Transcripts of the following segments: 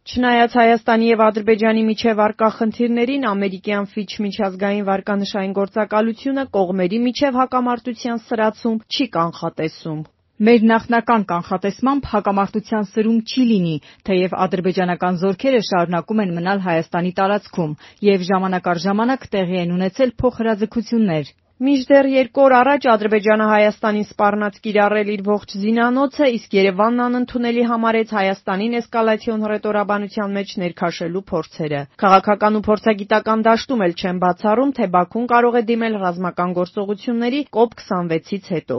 Չնայած Հայաստանի և Ադրբեջանի միջև առկա խնդիրներին, ամերիկյան Fitch միջազգային վարկանշային գործակալությունը կողմերի միջև հակամարտության սրացում չի կանխատեսում։ Մեր նախնական կանխատեսմամբ հակամարտության սրում չի լինի, թեև ադրբեջանական զորքերը շարունակում են մնալ Հայաստանի տարածքում և ժամանակ առ ժամանակ տեղի են ունեցել փոխհրաձգություններ։ Մինչդեռ 2 օր առաջ Ադրբեջանը Հայաստանին սպառնաց կիրառել իր ողջ զինանոցը, իսկ Երևանն անընդունելի համարեց Հայաստանին էսկալացիոն հռետորաբանության մեջ ներքաշելու փորձերը։ Քաղաքական ու փորձագիտական դաշտում էլ չեն բացառում, թե Բաքուն կարող է դիմել ռազմական գործողությունների COP26-ից հետո։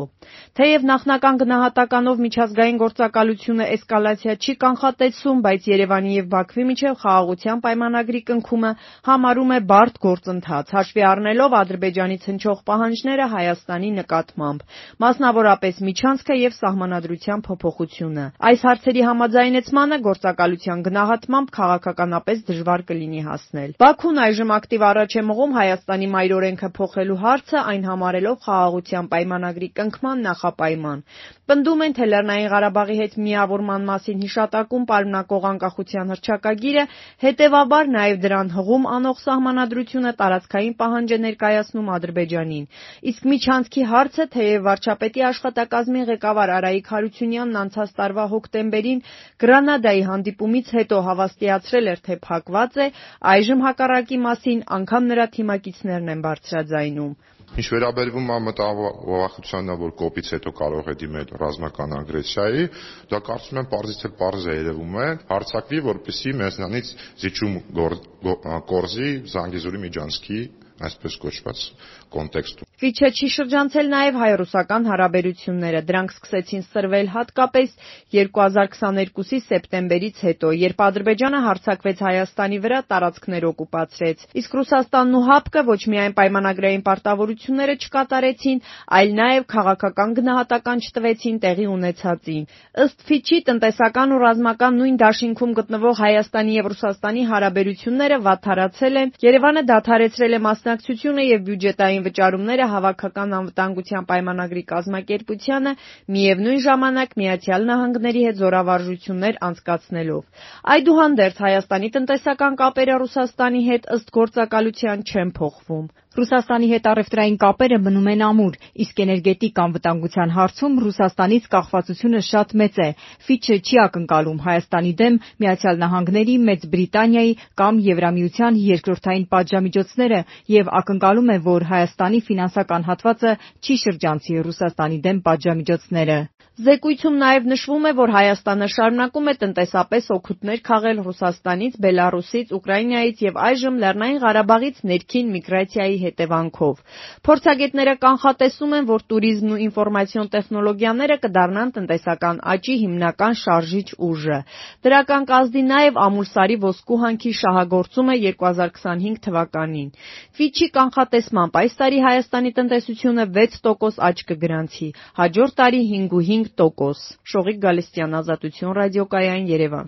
Թեև նախնական գնահատականով միջազգային գործակալությունը էսկալացիա չի կանխատեսում, բայց Երևանի և Բաքվի միջև խաղաղության պայմանագրի կնքումը համարում է բարդ գործընթաց, հաշվի առնելով Ադրբեջանից հնչող պահանջները Հայաստանի նկատմամբ, մասնավորապես միջանցքը և սահմանադրության փոփոխությունը։ Այս հարցերի համաձայնեցմանը գործակալության գնահատմամբ քաղաքականապես դժվար կլինի հասնել։ Բաքուն այժմ ակտիվ առաջ է մղում Հայաստանի մայրօրենքը փոխելու հարցը, այն համարելով խաղաղության պայմանագրի կնքման նախապայման։ Պնդում են, թե Լեռնային Ղարաբաղի հետ միավորման մասին հիշատակում պարունակող անկախության հռչակագիրը, հետևաբար նաև դրան հղում անող սահմանադրությունը տարածքային պահանջ է ներկայացնում Ադրբեջանին։ Իսկ միջանցքի հարցը, թեև վարչապետի աշխատակազմի ղեկավար Արայիկ Հարությունյանն անցած տարվա հոկտեմբերին Գրանադայի հանդիպումից հետո հավաստիացրել էր, թե փակված է, այժմ հակառակի մասին անգամ նրա թիմակիցներն են բարձրաձայնում։ Ինչ վերաբերվում է մտավախությանը, որ կոպից հետո կարող է դիմել ռազմական ագրեսիայի, դա կարծում եմ պարզից էլ պարզ է երևում է, հարձակվի, որպեսզի մեզնանից զիջում կորզի Զանգեզուրի միջանցքի այսպես կոչված կոնտեքստում։ Ֆիչը չի շրջանցել նաև հայ-ռուսական հարաբերությունները։ Դրանք սկսեցին սրվել հատկապես 2022-ի սեպտեմբերից հետո, երբ Ադրբեջանը հարձակվեց Հայաստանի վրա, տարածքներ օկուպացրեց։ Իսկ Ռուսաստանն ու ՀԱՊԿ-ը ոչ միայն պայմանագրային պարտավորությունները չկատարեցին, այլ նաև քաղաքական գնահատական չտվեցին տեղի ունեցածին։ Ըստ Ֆիչի, տնտեսական ու ռազմական նույն դաշինքում գտնվող Հայաստանի և Ռուսաստանի հարաբերությունները վատթարացել են, Երևանը դադարեցրել է մասնակցությունը և բյուջետային վճարումները Հավաքական անվտանգության պայմանագրի կազմակերպությանը, միևնույն ժամանակ Միացյալ Նահանգների հետ զորավարժություններ անցկացնելով։ Այդուհանդերձ Հայաստանի տնտեսական կապերը Ռուսաստանի հետ ըստ գործակալության չեն փոխվում։ Ռուսաստանի հետ առևտրային կապերը մնում են ամուր, իսկ էներգետիկ անվտանգության հարցում Ռուսաստանից կախվածությունը շատ մեծ է։ Ֆիչը չի ակնկալում Հայաստանի դեմ Միացյալ Նահանգների, Մեծ Բրիտանիայի կամ Եվրամիության երկրորդային պատժամիջոցները և ակնկալում է, որ Հայաստանի ֆինանսական հատվածը չի շրջանցի Ռուսաստանի դեմ պատժամիջոցները։ Զեկույցում նաև նշվում է, որ Հայաստանը շարունակում է տնտեսապես օգուտներ քաղել Ռուսաստանից, Բելառուսից, Ուկրաինայից և այժմ Լեռնային Ղարաբաղից ներքին միգրացիայի հետևանքով։ Փորձագետները կանխատեսում են, որ տուրիզմն ու ինֆորմացիոն տեխնոլոգիաները կդառնան տնտեսական աճի հիմնական շարժիչ ուժը։ Դրական կազդի նաև Ամուլսարի ոսկու հանքի շահագործումը 2025 թվականին։ Ֆիչի կանխատեսմամբ այս տարի Հայաստանի տնտեսությունը 6% աճ կգրանցի, հաջորդ տարի 5.5%։ Շողիկ Գալստյան, Ազատություն ռադիոկայան, Երևան։